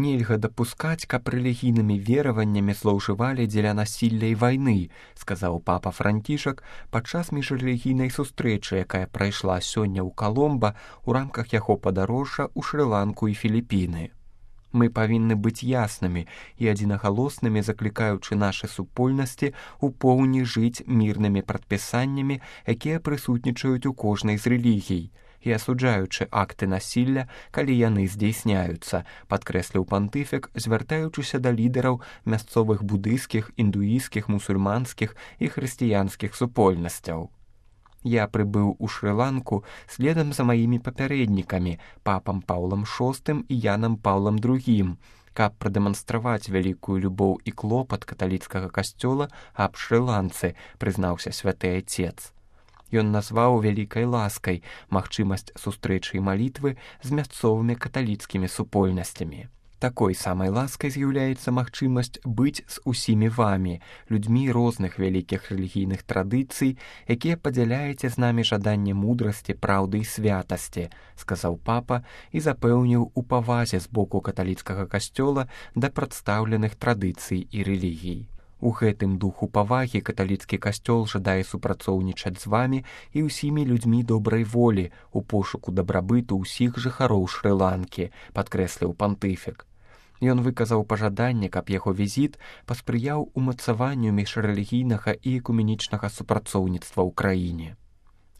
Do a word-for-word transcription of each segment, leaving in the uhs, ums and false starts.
Нельга дапускаць, каб рэлігійнымі вераваннямі злоўжывалі дзеля насілля і вайны, сказаў папа Францішак падчас міжрэлігійнай сустрэчы, якая прайшла сёння ў Каломба ў рамках яго падарожжа ў Шры-Ланку і Філіпіны. Мы павінны быць яснымі і адзінагалоснымі, заклікаючы нашы супольнасці ў поўні жыць мірнымі прадпісаннямі, якія прысутнічаюць у кожнай з рэлігій, і асуджаючы акты насілля, калі яны здзейсняюцца, падкрэсліў пантыфік, звяртаючыся да лідараў мясцовых будыйскіх, індуісцкіх, мусульманскіх і хрысціянскіх супольнасцяў. Я прыбыў у Шры-Ланку следам за маімі папярэднікамі, папам Паўлам шостым і Янам Паўлам другім, каб прадэманстраваць вялікую любоў і клопат каталіцкага касцёла аб Шры-Ланцы, прызнаўся святы айцец. Ён назваў вялікай ласкай магчымасць сустрэчы і малітвы з мясцовымі каталіцкімі супольнасцямі. Такой самай ласкай з'яўляецца магчымасць быць з усімі вамі, людзьмі розных вялікіх рэлігійных традыцый, якія падзяляеце з намі жаданне мудрасці, праўды і святасці, сказаў папа і запэўніў у павазе з боку каталіцкага касцёла да прадстаўленых традыцый і рэлігій. У гэтым духу павагі каталіцкі касцёл жадае супрацоўнічаць з вамі і ўсімі людзьмі добрай волі у пошуку дабрабыту ўсіх жыхароў Шры-Ланкі, падкрэсліў пантыфік. Ён выказаў пажаданне, каб яго візіт паспрыяў умацаванню міжрэлігійнага і экуменічнага супрацоўніцтва ў краіне.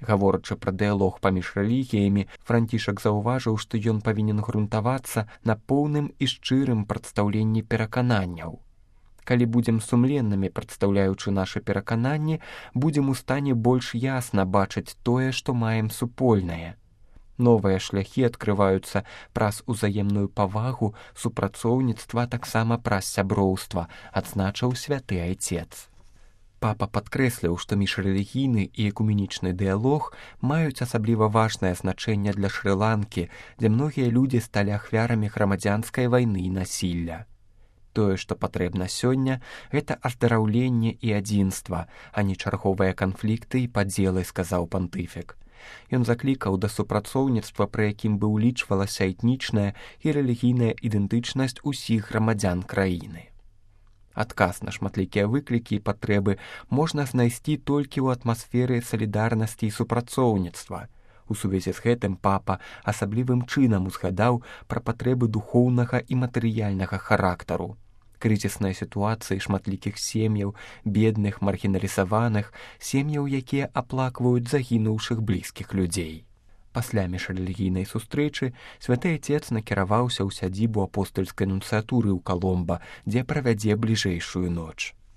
Гаворачы пра дыялог паміж рэлігіямі, Францішак заўважыў, што ён павінен грунтавацца на поўным і шчырым прадстаўленні перакананняў. Калі будзем сумленнымі, прадстаўляючы нашы перакананні, будзем у стане больш ясна бачыць тое, што маем супольнае. Новыя шляхі адкрываюцца праз узаемную павагу, супрацоўніцтва, таксама праз сяброўства, адзначыў святы айцец. Папа падкрэсліў, што міжрэлігійны і экуменічны дыялог маюць асабліва важнае значэнне для Шры-Ланкі, дзе многія людзі сталі ахвярамі грамадзянскай вайны і насілля. Тое, што патрэбна сёння, гэта аздараўленне і адзінства, а не чарговыя канфлікты і падзелы, сказаў пантыфік. Ён заклікаў да супрацоўніцтва, пры якім бы ўлічвалася этнічная і рэлігійная ідэнтычнасць усіх грамадзян краіны. Адказ на шматлікія выклікі і патрэбы можна знайсці толькі ў атмасферы салідарнасці і супрацоўніцтва. У сувязі з гэтым папа асаблівым чынам узгадаў пра патрэбы духоўнага і матэрыяльнага характару. Крызісныя сітуацыі шматлікіх сем'яў, бедных, маргіналізаваных, сем'яў, якія аплакваюць загінуўшых блізкіх людзей. Пасля міжрэлігійнай сустрэчы святы айцец накіраваўся ў сядзібу апостальскай нунцыятуры ў Каломба, дзе правядзе бліжэйшую ноч.